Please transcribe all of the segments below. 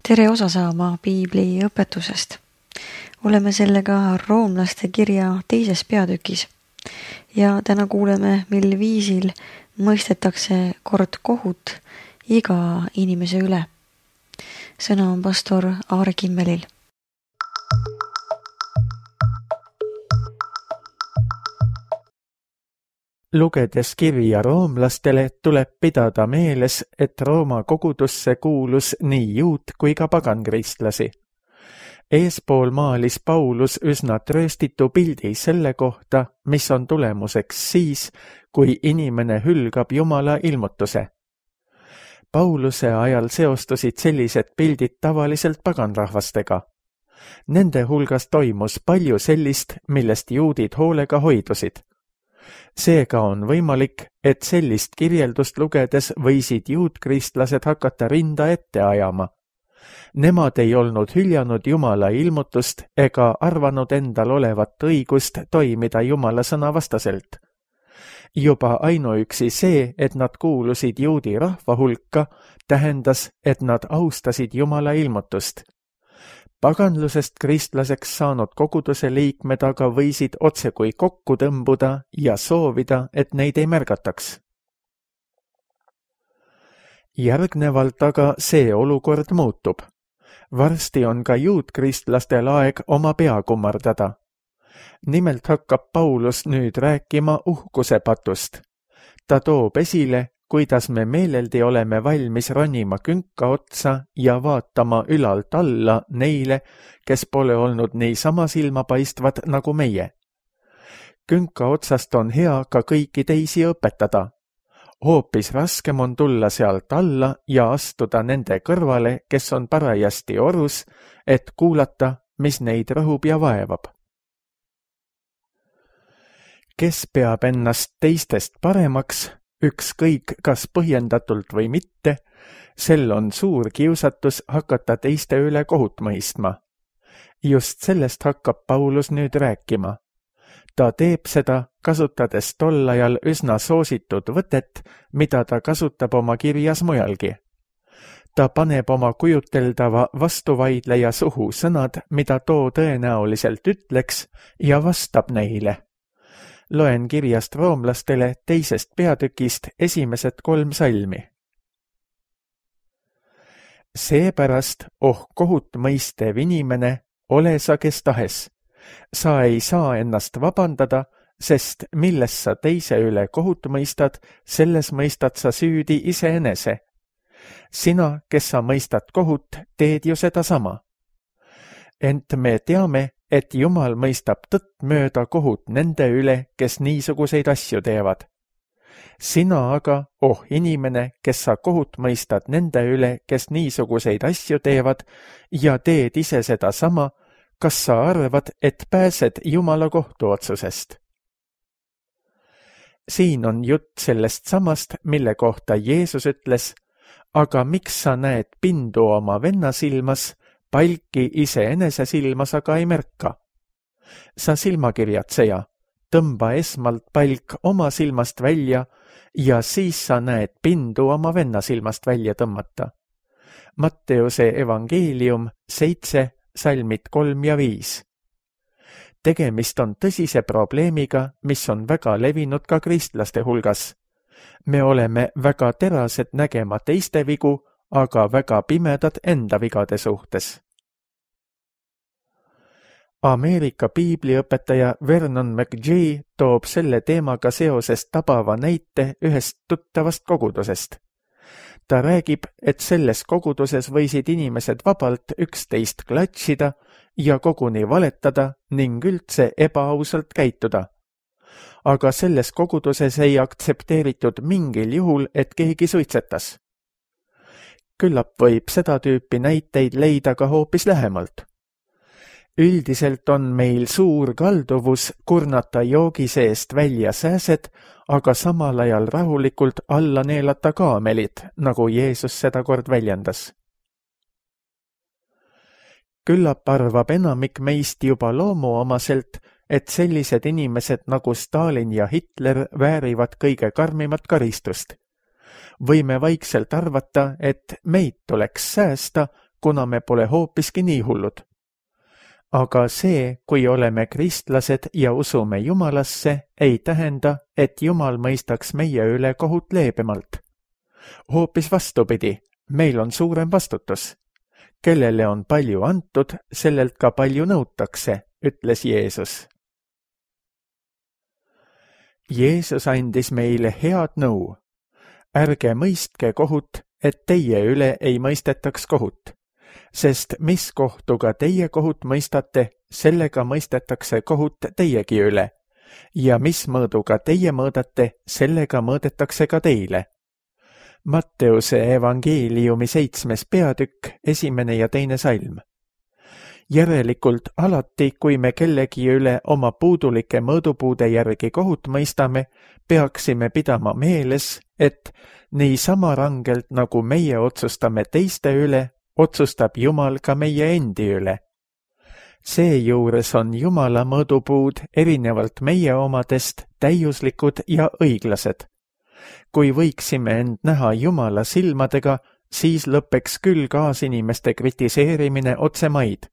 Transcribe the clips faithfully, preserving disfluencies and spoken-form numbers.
Tere osa saama piibli õpetusest. Oleme sellega roomlaste kirja teises peatükis ja täna kuuleme, mil viisil mõistetakse kord kohut iga inimese üle. Sõna on pastor Aare Kimmelil. Lugedes kirja roomlastele tuleb pidada meeles, et Rooma kogudusse kuulus nii juut kui ka pagankristlasi. Eespool maalis Paulus üsna trööstitu pildi selle kohta, mis on tulemuseks siis, kui inimene hülgab Jumala ilmutuse. Pauluse ajal seostusid sellised pildid tavaliselt paganrahvastega. Nende hulgas toimus palju sellist, millest juudid hoolega hoidusid. Seega on võimalik, et sellist kirjeldust lugedes võisid juutkristlased hakata rinda ette ajama. Nemad ei olnud hüljanud Jumala ilmutust ega arvanud endal olevat õigust toimida Jumala sõna vastaselt. Juba ainuüksi see, et nad kuulusid juudi rahva hulka, tähendas, et nad austasid Jumala ilmutust. Paganlusest kristlaseks saanud koguduse liikmed aga võisid otsekui kokku tõmbuda ja soovida, et neid ei märgataks. Järgnevalt aga see olukord muutub. Varsti on ka juutkristlastel aeg oma pea kummardada. Nimelt hakkab Paulus nüüd rääkima uhkuse patust. Ta toob esile, kuidas me meeleldi oleme valmis ronima künka otsa ja vaatama ülalt alla neile, kes pole olnud niisama silmapaistvad nagu meie. Künka otsast on hea ka kõiki teisi õpetada. Hoopis raskem on tulla sealt alla ja astuda nende kõrvale, kes on parajasti orus, et kuulata, mis neid rõhub ja vaevab. Kes peab ennast teistest paremaks, ükskõik kas põhjendatult või mitte, sel on suur kiusatus hakata teiste üle kohut mõistma. Just sellest hakkab Paulus nüüd rääkima. Ta teeb seda, kasutades tol ajal üsna soositud võtet, mida ta kasutab oma kirjas mujalgi. Ta paneb oma kujuteldava vastuvaidleja suhu sõnad, mida too tõenäoliselt ütleks, ja vastab neile. Loen kirjast roomlastele teisest peatükist esimesed kolm salmi. Seepärast, oh kohut mõistev inimene, ole sa kes tahes. Sa ei saa ennast vabandada, sest milles sa teise üle kohut mõistad, selles mõistad sa süüdi iseenese. Sina, kes sa mõistad kohut, teed ju seda sama. Ent me teame, et Jumal mõistab tõtt mööda kohut nende üle, kes niisuguseid asju teevad. Sina aga, oh inimene, kes sa kohut mõistad nende üle, kes niisuguseid asju teevad, ja teed ise seda sama, kas sa arvad, et pääsed Jumala kohtuotsusest? Siin on jutt sellest samast, mille kohta Jeesus ütles, aga miks sa näed pindu oma venna silmas, palki iseenese silmas aga ei märka. Sa silmakirjatseja, tõmba esmalt palk oma silmast välja ja siis sa näed pindu oma venna silmast välja tõmmata. Matteuse evangeelium seitse, salmid kolm ja viis. Tegemist on tõsise probleemiga, mis on väga levinud ka kristlaste hulgas. Me oleme väga terased nägema teiste vigu, aga väga pimedad enda vigade suhtes. Ameerika piibliõpetaja Vernon McGee toob selle teemaga seoses tabava näite ühest tuttavast kogudusest. Ta räägib, et selles koguduses võisid inimesed vabalt üksteist klatšida ja koguni valetada ning üldse ebaausalt käituda. Aga selles koguduses ei aktsepteeritud mingil juhul, et keegi suitsetas. Küllap võib seda tüüpi näiteid leida ka hoopis lähemalt. Üldiselt on meil suur kalduvus kurnata joogi seest välja sääsed, aga samal ajal rahulikult alla neelata kaamelid, nagu Jeesus seda kord väljendas. Küllap arvab enamik meist juba loomuomaselt, et sellised inimesed nagu Stalin ja Hitler väärivad kõige karmimat karistust. Võime vaikselt arvata, et meid tuleks säästa, kuna me pole hoopiski nii hullud. Aga see, kui oleme kristlased ja usume Jumalasse, ei tähenda, et Jumal mõistaks meie üle kohut leebemalt. Hoopis vastupidi, meil on suurem vastutus. Kellele on palju antud, sellelt ka palju nõutakse, ütles Jeesus. Jeesus andis meile head nõu. Ärge mõistke kohut, et teie üle ei mõistetaks kohut, sest mis kohtuga teie kohut mõistate, sellega mõistetakse kohut teiegi üle, ja mis mõõduga teie mõõdate, sellega mõõdetakse ka teile. Matteuse evangeeliumi seitsmes peatükk, esimene ja teine salm. Järelikult alati, kui me kellegi üle oma puudulike mõõdupuude järgi kohut mõistame, peaksime pidama meeles, et nii sama rangelt nagu meie otsustame teiste üle, otsustab Jumal ka meie endi üle. Seejuures on Jumala mõõdupuud erinevalt meie omadest täiuslikud ja õiglased. Kui võiksime end näha Jumala silmadega, siis lõpeks küll kaasinimeste kritiseerimine otsemaid.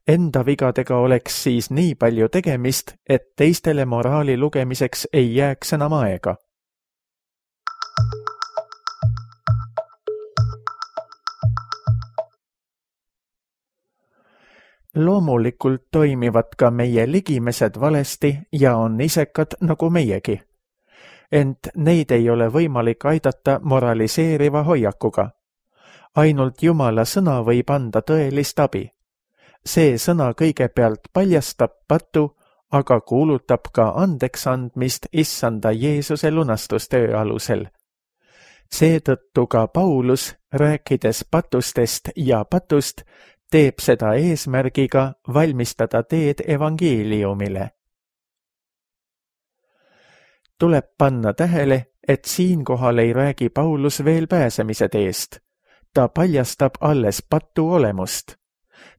Enda vigadega oleks siis nii palju tegemist, et teistele moraali lugemiseks ei jääks enam aega. Loomulikult toimivad ka meie ligimesed valesti ja on isekad nagu meiegi. Ent neid ei ole võimalik aidata moraliseeriva hoiakuga. Ainult Jumala sõna võib anda tõelist abi. See sõna kõigepealt paljastab patu, aga kuulutab ka andeks andmist issanda Jeesuse lunastustöö alusel. Seetõttu ka Paulus, rääkides patustest ja patust, teeb seda eesmärgiga valmistada teed evangeeliumile. Tuleb panna tähele, et siinkohal ei räägi Paulus veel pääsemise teest. Ta paljastab alles patu olemust.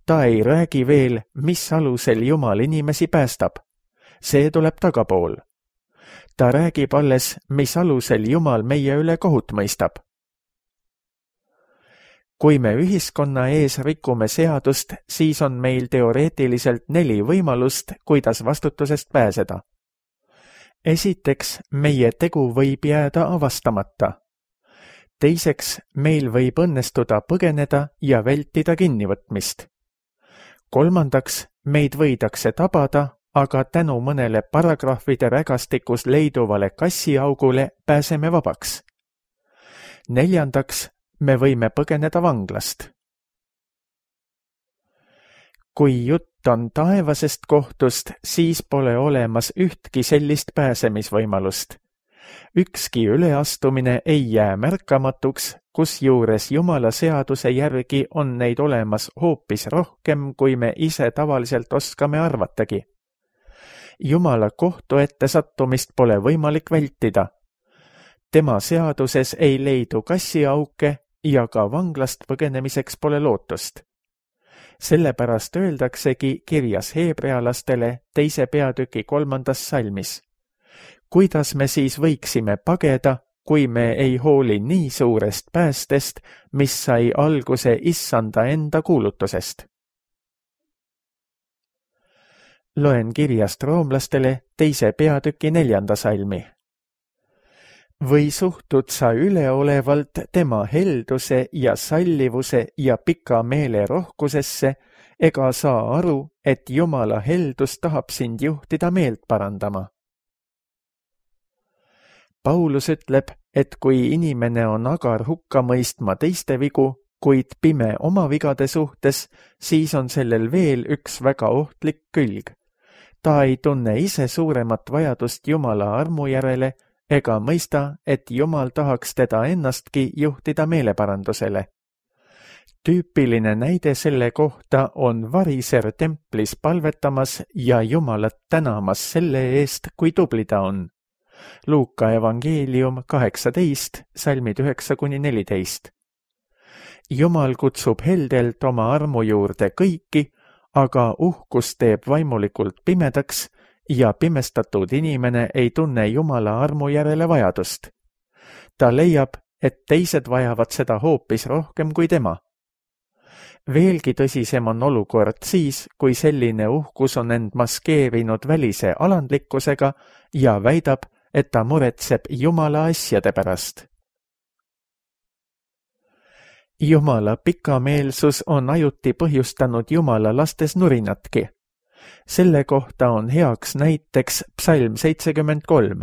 Ta ei räägi veel, mis alusel Jumal inimesi päästab. See tuleb tagapool. Ta räägib alles, mis alusel Jumal meie üle kohut mõistab. Kui me ühiskonna ees rikume seadust, siis on meil teoreetiliselt neli võimalust, kuidas vastutusest pääseda. Esiteks, meie tegu võib jääda avastamata. Teiseks, meil võib õnnestuda põgeneda ja vältida kinnivõtmist. Kolmandaks, meid võidakse tabada, aga tänu mõnele paragrahvide rägastikus leiduvale kassiaugule pääseme vabaks. Neljandaks, me võime põgeneda vanglast. Kui jutt on taevasest kohtust, siis pole olemas ühtki sellist pääsemisvõimalust. Ükski üleastumine ei jää märkamatuks, kusjuures Jumala seaduse järgi on neid olemas hoopis rohkem, kui me ise tavaliselt oskame arvatagi. Jumala kohtu ette sattumist pole võimalik vältida. Tema seaduses ei leidu kassiauke ja ka vanglast põgenemiseks pole lootust. Sellepärast öeldaksegi kirjas heebrealastele teise peatüki kolmandas salmis. Kuidas me siis võiksime pageda, kui me ei hooli nii suurest päästest, mis sai alguse issanda enda kuulutusest? Loen kirjast roomlastele teise peatüki neljanda salmi. Või suhtud sa üleolevalt tema helduse ja sallivuse ja pika meele rohkusesse, ega saa aru, et Jumala heldus tahab sind juhtida meelt parandama. Paulus ütleb, et kui inimene on agar hukka mõistma teiste vigu, kuid pime oma vigade suhtes, siis on sellel veel üks väga ohtlik külg. Ta ei tunne ise suuremat vajadust Jumala armu järele, ega mõista, et Jumal tahaks teda ennastki juhtida meeleparandusele. Tüüpiline näide selle kohta on variser templis palvetamas ja Jumalat tänamas selle eest, kui tubli ta on. Luuka evangeelium kaheksateist, salmid üheksa kuni neliteist. Jumal kutsub heldelt oma armu juurde kõiki, aga uhkus teeb vaimulikult pimedaks, ja pimestatud inimene ei tunne Jumala armu järele vajadust. Ta leiab, et teised vajavad seda hoopis rohkem kui tema. veelgi tõsisem on olukord siis, kui selline uhkus on end maskeerinud välise alandlikkusega ja väidab, et ta muretseb Jumala asjade pärast. Jumala pikameelsus on ajuti põhjustanud Jumala lastes nurinatki. Selle kohta on heaks näiteks psalm seitsekümmend kolm.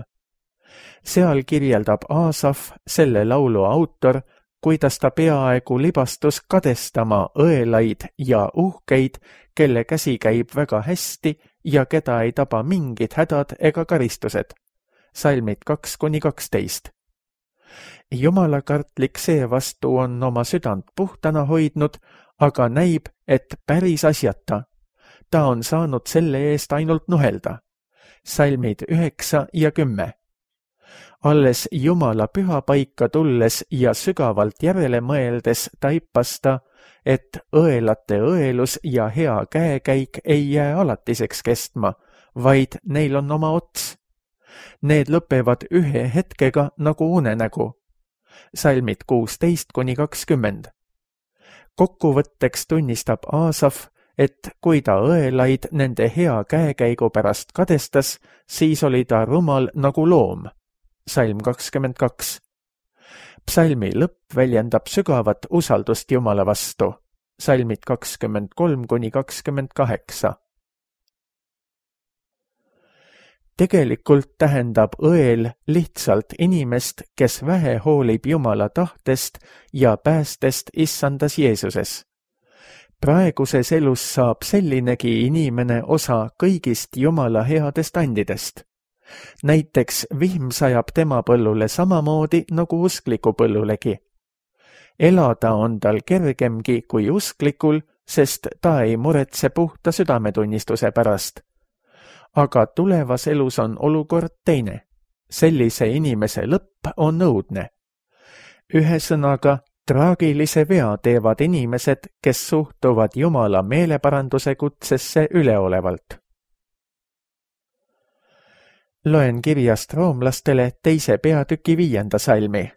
Seal kirjeldab Aasaf, selle laulu autor, kuidas ta peaaegu libastus kadestama õelaid ja uhkeid, kelle käsi käib väga hästi ja keda ei taba mingid hädad ega karistused. Salmid kaks kuni kaksteist. Jumalakartlik seevastu on oma südant puhtana hoidnud, aga näib, et päris asjata. Ta on saanud selle eest ainult nuhelda. Salmid üheksa ja kümme. Alles Jumala pühapaika tulles ja sügavalt järele mõeldes taipas ta, et õelate õelus ja hea käekäik ei jää alatiseks kestma, vaid neil on oma ots. Need lõpevad ühe hetkega nagu unenägu. Salmid kuusteist kuni kakskümmend. Kokkuvõtteks tunnistab Aasaf, et kui ta õelaid nende hea käekäigu pärast kadestas, siis oli ta rumal nagu loom. Salm kakskümmend kaks. Psalmi lõpp väljendab sügavat usaldust Jumala vastu. Salmid kakskümmend kolm kuni kakskümmend kaheksa. Tegelikult tähendab õel lihtsalt inimest, kes vähe hoolib Jumala tahtest ja päästest issandas Jeesuses. Praeguses elus saab sellinegi inimene osa kõigist Jumala headest andidest. Näiteks vihm sajab tema põllule samamoodi nagu uskliku põllulegi. Elada on tal kergemgi kui usklikul, sest ta ei muretse puhta südametunnistuse pärast. Aga tulevas elus on olukord teine. Sellise inimese lõpp on õudne. Ühesõnaga, traagilise vea teevad inimesed, kes suhtuvad Jumala meeleparanduse kutsesse üleolevalt. Loen kirjast roomlastele teise peatüki viienda salmi.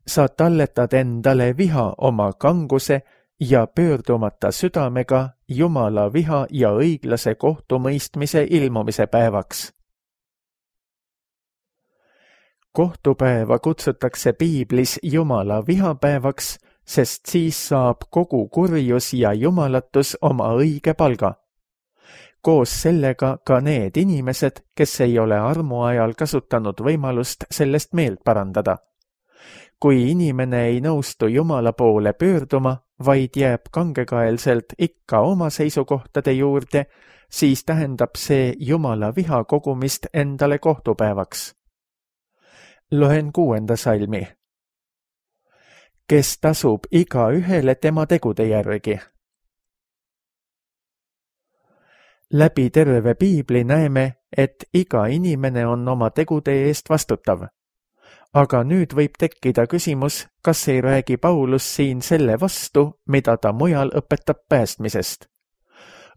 Sa talletad endale viha oma kanguse ja pöördumata südamega Jumala viha ja õiglase kohtumõistmise ilmumise päevaks. Kohtupäeva kutsutakse piiblis Jumala vihapäevaks, sest siis saab kogu kurjus ja jumalatus oma õige palga. Koos sellega ka need inimesed, kes ei ole armuajal kasutanud võimalust sellest meelt parandada. Kui inimene ei nõustu Jumala poole pöörduma, vaid jääb kangekaelselt ikka oma seisukohtade juurde, siis tähendab see Jumala viha kogumist endale kohtupäevaks. Loen kuuenda salmi. Kes tasub iga ühele tema tegude järgi. Läbi terve piibli näeme, et iga inimene on oma tegude eest vastutav. Aga nüüd võib tekkida küsimus, kas ei räägi Paulus siin selle vastu, mida ta mujal õpetab päästmisest.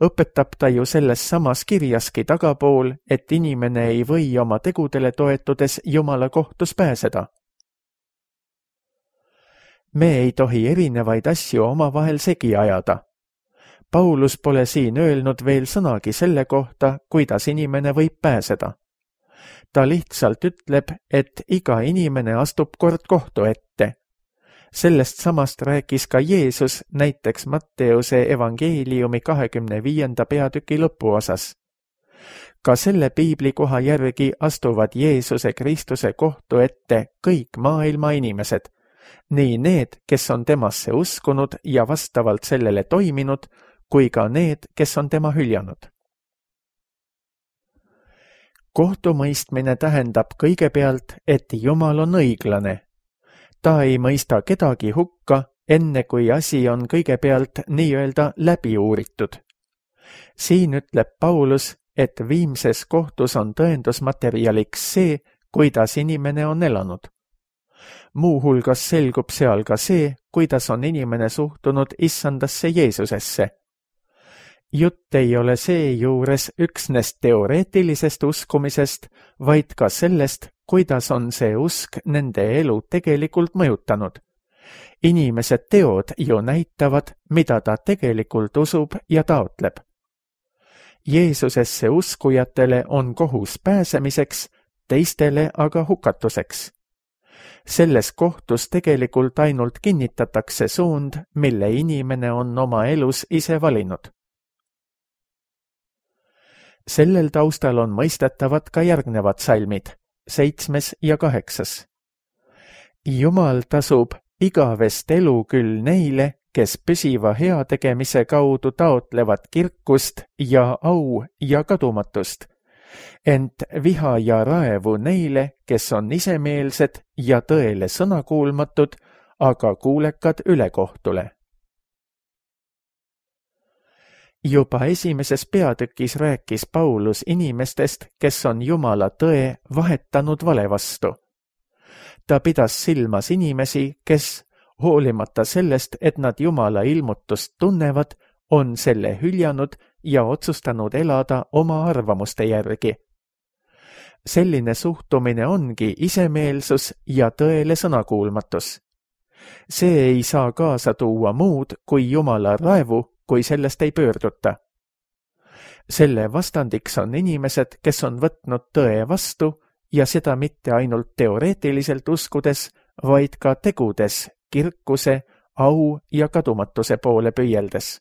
Õpetab ta ju selles samas kirjaski tagapool, et inimene ei või oma tegudele toetudes Jumala kohtus pääseda. Me ei tohi erinevaid asju omavahel segi ajada. Paulus pole siin öelnud veel sõnagi selle kohta, kuidas inimene võib pääseda. Ta lihtsalt ütleb, et iga inimene astub kord kohtu ette. Sellest samast rääkis ka Jeesus näiteks Matteuse evangeeliumi kahekümne viienda peatüki lõpuosas. Ka selle piiblikoha järgi astuvad Jeesuse Kristuse kohtu ette kõik maailma inimesed, nii need, kes on temasse uskunud ja vastavalt sellele toiminud, kui ka need, kes on tema hüljanud. Kohtumõistmine tähendab kõigepealt, et Jumal on õiglane. Ta ei mõista kedagi hukka, enne kui asi on kõigepealt nii-öelda läbi uuritud. Siin ütleb Paulus, et viimses kohtus on tõendusmaterjaliks see, kuidas inimene on elanud. Muuhulgas selgub seal ka see, kuidas on inimene suhtunud issandasse Jeesusesse. Jutt ei ole seejuures üksnes teoreetilisest uskumisest, vaid ka sellest, kuidas on see usk nende elu tegelikult mõjutanud. Inimese teod ju näitavad, mida ta tegelikult usub ja taotleb. Jeesusesse uskujatele on kohus pääsemiseks, teistele aga hukatuseks. Selles kohtus tegelikult ainult kinnitatakse suund, mille inimene on oma elus ise valinud. Sellel taustal on mõistetavad ka järgnevad salmid, seitsmes ja kaheksas. Jumal tasub igavest elu küll neile, kes püsiva heategemise kaudu taotlevad kirkust ja au ja kadumatust, ent viha ja raevu neile, kes on isemeelsed ja tõele sõnakuulmatud, aga kuulekad ülekohtule. Juba esimeses peatükis rääkis Paulus inimestest, kes on Jumala tõe vahetanud vale vastu. Ta pidas silmas inimesi, kes, hoolimata sellest, et nad Jumala ilmutust tunnevad, on selle hüljanud ja otsustanud elada oma arvamuste järgi. Selline suhtumine ongi isemeelsus ja tõele sõnakuulmatus. See ei saa kaasa tuua muud kui Jumala raevu, kui sellest ei pöörduta. Selle vastandiks on inimesed, kes on võtnud tõe vastu ja seda mitte ainult teoreetiliselt uskudes, vaid ka tegudes, kirkuse, au ja kadumatuse poole püüeldes.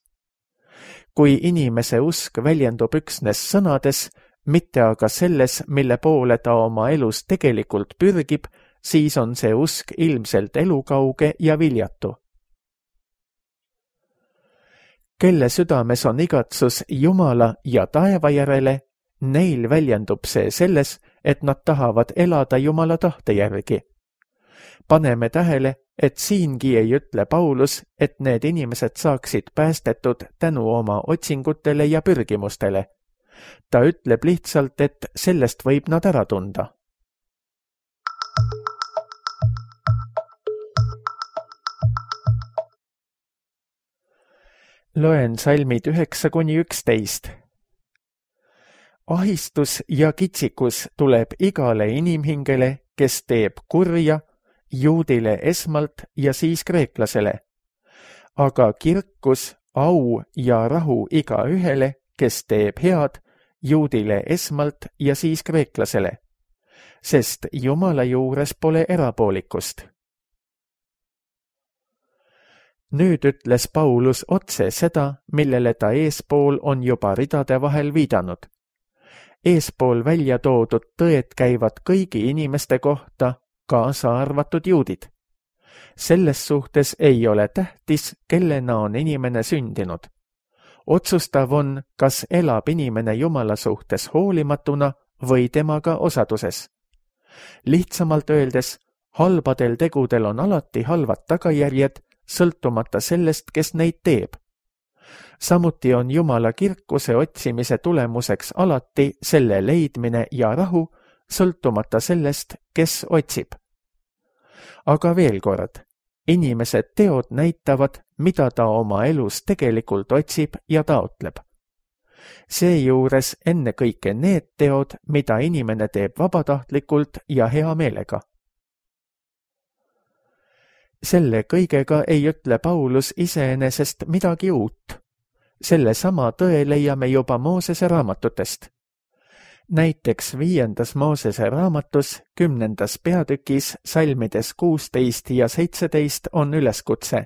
Kui inimese usk väljendub üksnes sõnades, mitte aga selles, mille poole ta oma elus tegelikult pürgib, siis on see usk ilmselt elukauge ja viljatu. Kelle südames on igatsus Jumala ja taeva järele, neil väljendub see selles, et nad tahavad elada Jumala tahte järgi. Paneme tähele, et siingi ei ütle Paulus, et need inimesed saaksid päästetud tänu oma otsingutele ja pürgimustele. Ta ütleb lihtsalt, et sellest võib nad ära tunda. Loen salmid üheksa kuni üksteist. Ahistus ja kitsikus tuleb igale inimhingele, kes teeb kurja, juudile esmalt ja siis kreeklasele, aga kirkus, au ja rahu igaühele, kes teeb head, juudile esmalt ja siis kreeklasele, sest Jumala juures pole erapoolikust. Nüüd ütles Paulus otse seda, millele ta eespool on juba ridade vahel viidanud. Eespool välja toodud tõed käivad kõigi inimeste kohta, kaasa arvatud juudid. Selles suhtes ei ole tähtis, kellena on inimene sündinud. Otsustav on, kas elab inimene Jumala suhtes hoolimatuna või temaga osaduses. Lihtsamalt öeldes, halbadel tegudel on alati halvad tagajärjed, sõltumata sellest, kes neid teeb. Samuti on Jumala kirkuse otsimise tulemuseks alati selle leidmine ja rahu, sõltumata sellest, kes otsib. Aga veel kord, inimesed teod näitavad, mida ta oma elus tegelikult otsib ja taotleb. Seejuures ennekõike need teod, mida inimene teeb vabatahtlikult ja hea meelega. Selle kõigega ei ütle Paulus iseenesest midagi uut. Selle sama tõe leiame juba Moosese raamatutest. Näiteks viiendas Moosese raamatus, kümnendas peatükis, salmides kuusteist ja seitseteist on üleskutse.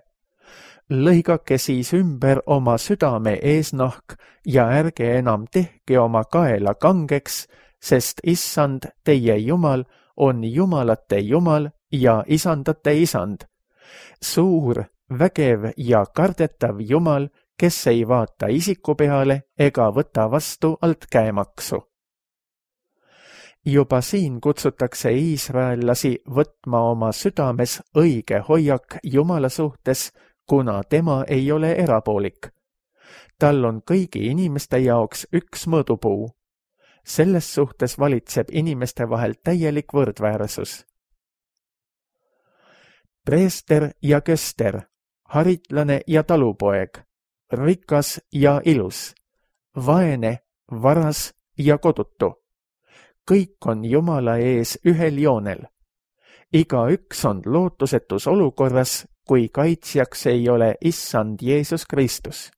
Lõigake siis ümber oma südame eesnahk ja ärge enam tehke oma kaela kangeks, sest issand, teie Jumal, on jumalate Jumal ja isandate isand. Suur, vägev ja kardetav Jumal, kes ei vaata isiku peale ega võta vastu alt käemaksu. Juba siin kutsutakse iisraellasi võtma oma südames õige hoiak Jumala suhtes, kuna tema ei ole erapoolik. Tal on kõigi inimeste jaoks üks mõõdupuu. Selles suhtes valitseb inimeste vahel täielik võrdväärsus. Preester ja köster, haritlane ja talupoeg, rikas ja ilus, vaene, varas ja kodutu. Kõik on Jumala ees ühel joonel. Iga üks on lootusetus olukorras, kui kaitsjaks ei ole issand Jeesus Kristus.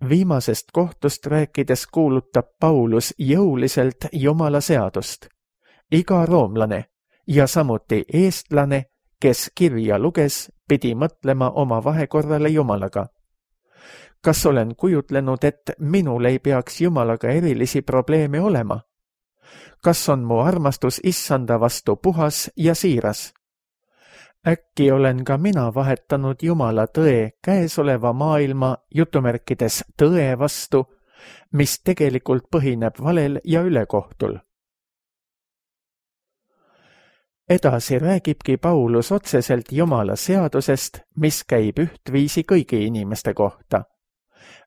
Viimasest kohtust rääkides kuulutab Paulus jõuliselt Jumala seadust. Iga roomlane ja samuti eestlane, kes kirja luges, pidi mõtlema oma vahekorrale Jumalaga. Kas olen kujutlenud, et minul ei peaks Jumalaga erilisi probleeme olema? Kas on mu armastus issanda vastu puhas ja siiras? Äkki olen ka mina vahetanud Jumala tõe käesoleva maailma jutumärkides tõe vastu, mis tegelikult põhineb valel ja ülekohtul? Edasi räägibki Paulus otseselt Jumala seadusest, mis käib ühtviisi kõigi inimeste kohta.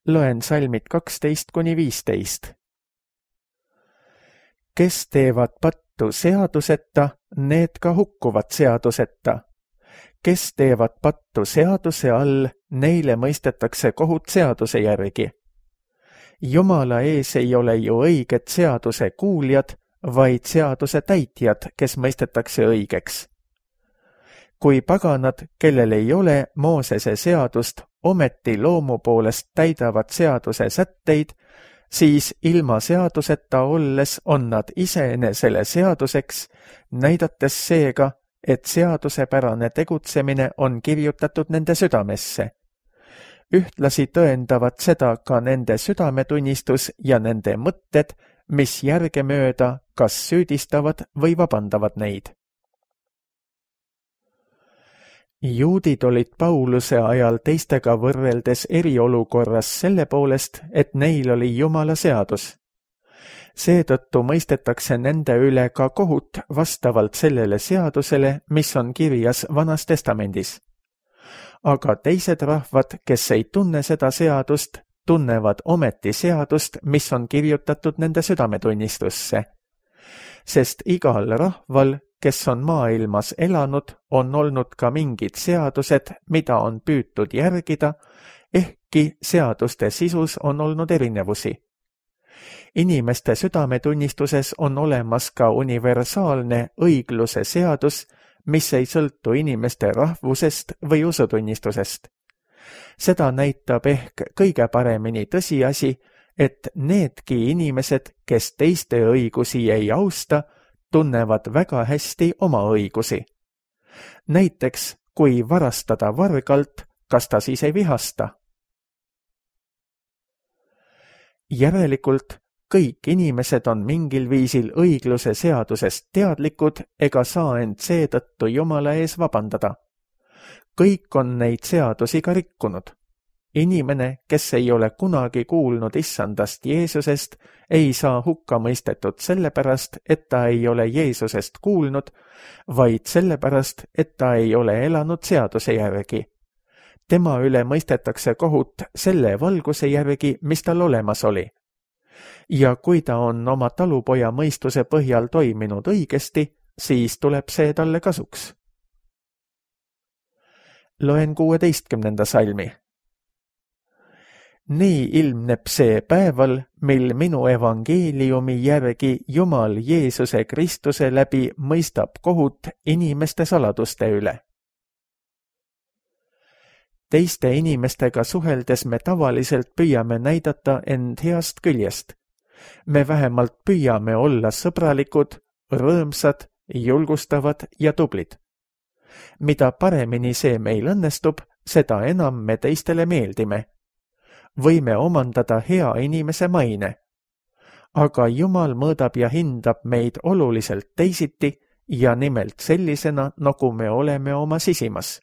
Loen salmid kaksteist kuni viisteist. Kes teevad pattu seaduseta, need ka hukkuvad seaduseta. Kes teevad pattu seaduse all, neile mõistetakse kohut seaduse järgi. Jumala ees ei ole ju õiged seaduse kuuljad, vaid seaduse täitjad, kes mõistetakse õigeks. Kui paganad, kellel ei ole Moosese seadust, ometi loomu poolest täidavad seaduse sätteid, siis ilma seaduseta olles on nad iseenesele seaduseks, näidates seega, et seadusepärane tegutsemine on kirjutatud nende südamesse. Ühtlasi tõendavad seda ka nende südametunnistus ja nende mõtted, mis järgemööda kas süüdistavad või vabandavad neid. Juudid olid Pauluse ajal teistega võrreldes eriolukorras selle poolest, et neil oli Jumala seadus. Seetõttu mõistetakse nende üle ka kohut vastavalt sellele seadusele, mis on kirjas Vanas Testamendis. Aga teised rahvad, kes ei tunne seda seadust, tunnevad ometi seadust, mis on kirjutatud nende südametunnistusse. Sest igal rahval, kes on maailmas elanud, on olnud ka mingid seadused, mida on püütud järgida, ehkki seaduste sisus on olnud erinevusi. Inimeste südametunnistuses on olemas ka universaalne õigluse seadus, mis ei sõltu inimeste rahvusest või usutunnistusest. Seda näitab ehk kõige paremini tõsiasi, et needki inimesed, kes teiste õigusi ei austa, tunnevad väga hästi oma õigusi. Näiteks, kui varastada vargalt, kas ta siis ei vihasta? Järelikult kõik inimesed on mingil viisil õigluse seadusest teadlikud ega saa end seetõttu Jumala ees vabandada. Kõik on neid seadusi ka rikkunud. Inimene, kes ei ole kunagi kuulnud issandast Jeesusest, ei saa hukka mõistetud sellepärast, et ta ei ole Jeesusest kuulnud, vaid sellepärast, et ta ei ole elanud seaduse järgi. Tema üle mõistetakse kohut selle valguse järgi, mis tal olemas oli. Ja kui ta on oma talupoja mõistuse põhjal toiminud õigesti, siis tuleb see talle kasuks. Loen kuueteistkümnenda salmi. Nii ilmneb see päeval, mil minu evangeeliumi järgi Jumal Jeesuse Kristuse läbi mõistab kohut inimeste saladuste üle. Teiste inimestega suheldes me tavaliselt püüame näidata end heast küljest. Me vähemalt püüame olla sõbralikud, rõõmsad, julgustavad ja tublid. Mida paremini see meil õnnestub, seda enam me teistele meeldime. Võime omandada hea inimese maine. Aga Jumal mõõdab ja hindab meid oluliselt teisiti ja nimelt sellisena, nagu me oleme oma sisimas.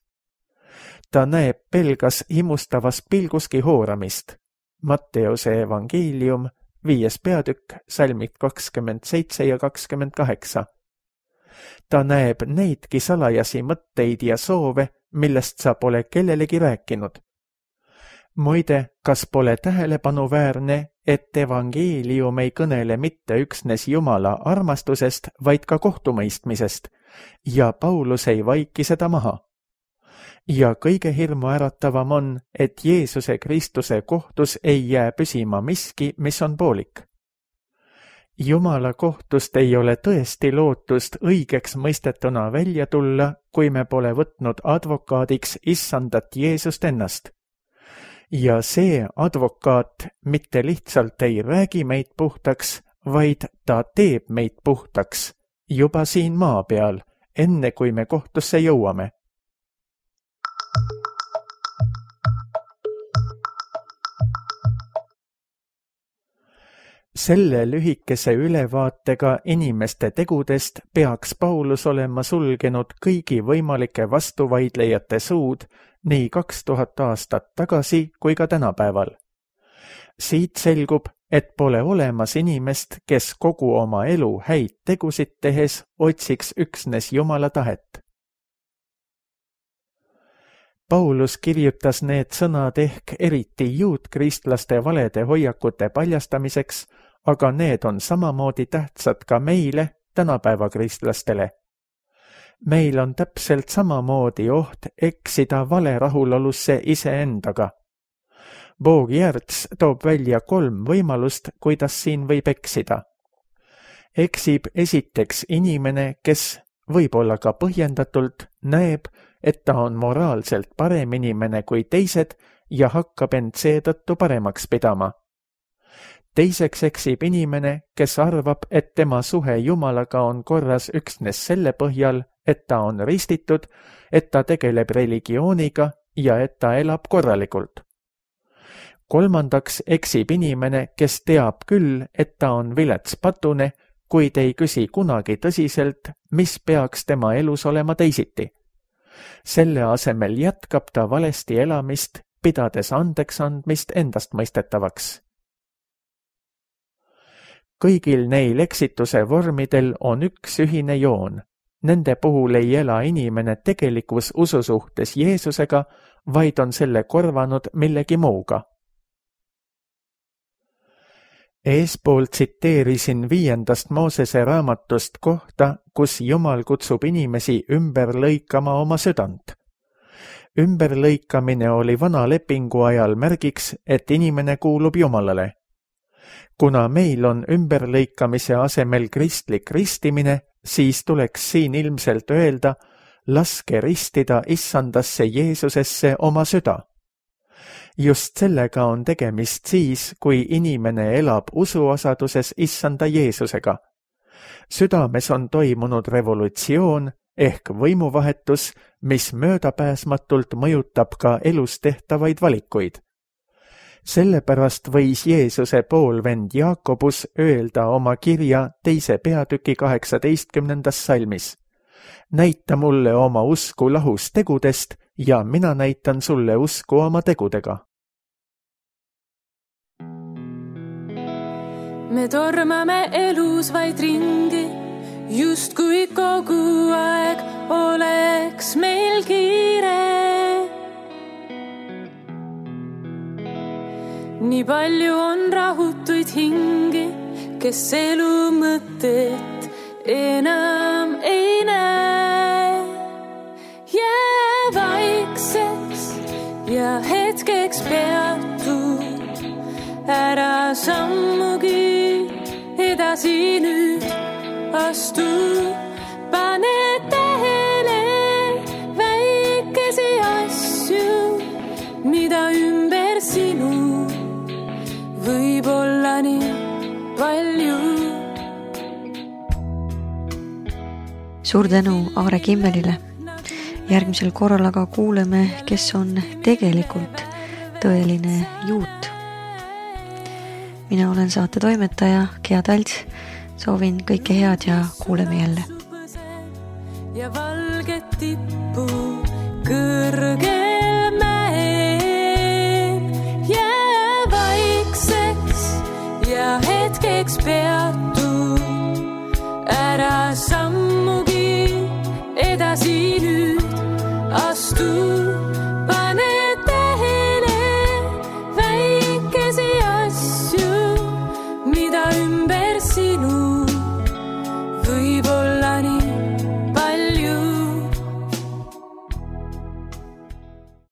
Ta näeb pelgas himustavas pilguski hooramist. Matteuse evangeelium, viies peatükk, salmid kakskümmend seitse ja kakskümmend kaheksa. Ta näeb neidki salajasi mõtteid ja soove, millest sa pole kellelegi rääkinud. Muide, kas pole tähelepanuväärne, et evangeelium ei kõnele mitte üksnes Jumala armastusest, vaid ka kohtumõistmisest, ja Paulus ei vaiki seda maha. Ja kõige hirmuäratavam on, et Jeesuse Kristuse kohtus ei jää püsima miski, mis on poolik. Jumala kohtust ei ole tõesti lootust õigeks mõistetuna välja tulla, kui me pole võtnud advokaadiks issandat Jeesust ennast. Ja see advokaat mitte lihtsalt ei räägi meid puhtaks, vaid ta teeb meid puhtaks juba siin maa peal, enne kui me kohtusse jõuame. Selle lühikese ülevaatega inimeste tegudest peaks Paulus olema sulgenud kõigi võimalike vastuvaidlejate suud nii kaks tuhat aastat tagasi kui ka tänapäeval. Siit selgub, et pole olemas inimest, kes kogu oma elu häid tegusid tehes otsiks üksnes Jumala tahet. Paulus kirjutas need sõnad ehk eriti juutkristlaste valede hoiakute paljastamiseks, aga need on samamoodi tähtsad ka meile, tänapäeva kristlastele. Meil on täpselt samamoodi oht eksida vale rahulolusse iseendaga. Boog-Järts toob välja kolm võimalust, kuidas siin võib eksida. Eksib esiteks inimene, kes võib-olla ka põhjendatult näeb, et ta on moraalselt parem inimene kui teised ja hakkab end seetõttu paremaks pidama. Teiseks eksib inimene, kes arvab, et tema suhe Jumalaga on korras üksnes selle põhjal, et ta on ristitud, et ta tegeleb religiooniga ja et ta elab korralikult. Kolmandaks eksib inimene, kes teab küll, et ta on vilets patune, kuid ei küsi kunagi tõsiselt, mis peaks tema elus olema teisiti. Selle asemel jätkab ta valesti elamist, pidades andeks andmist endast mõistetavaks. Kõigil neil eksituse vormidel on üks ühine joon. Nende puhul ei ela inimene tegelikus ususuhtes Jeesusega, vaid on selle korvanud millegi muuga. Eespool tsiteerisin viiendast Moosese raamatust kohta, kus Jumal kutsub inimesi ümber lõikama oma südant. Ümberlõikamine oli vana lepingu ajal märgiks, et inimene kuulub Jumalale. Kuna meil on ümberlõikamise asemel kristlik ristimine, siis tuleks siin ilmselt öelda, laske ristida issandasse Jeesusesse oma süda. Just sellega on tegemist siis, kui inimene elab usuosaduses issanda Jeesusega. Südames on toimunud revolutsioon ehk võimuvahetus, mis möödapääsmatult mõjutab ka elus tehtavaid valikuid. Sellepärast võis Jeesuse poolvend Jaakobus öelda oma kirja teise peatüki kaheksateistkümnendas salmis. Näita mulle oma usku lahus tegudest ja mina näitan sulle usku oma tegudega. Me tormame elus vaid ringi, just kui kogu aeg oleks meil kiire. Nii palju on rahutuid hingi, kes elu mõtet enam ei näe. Jää vaikseks ja hetkeks peatu, ära sammugi edasi nüüd astu. Pane tähele väikesi asju, mida ümber sinu võib olla nii palju. Suur tänu Aare Kimmelile. Järgmisel korral aga kuuleme, kes on tegelikult tõeline juut. Mina olen saate toimetaja Gea Talts. Soovin kõike head ja kuuleme jälle. Ja valget tippu kõrgel mäel. Jää vaikseks ja hetkeks pead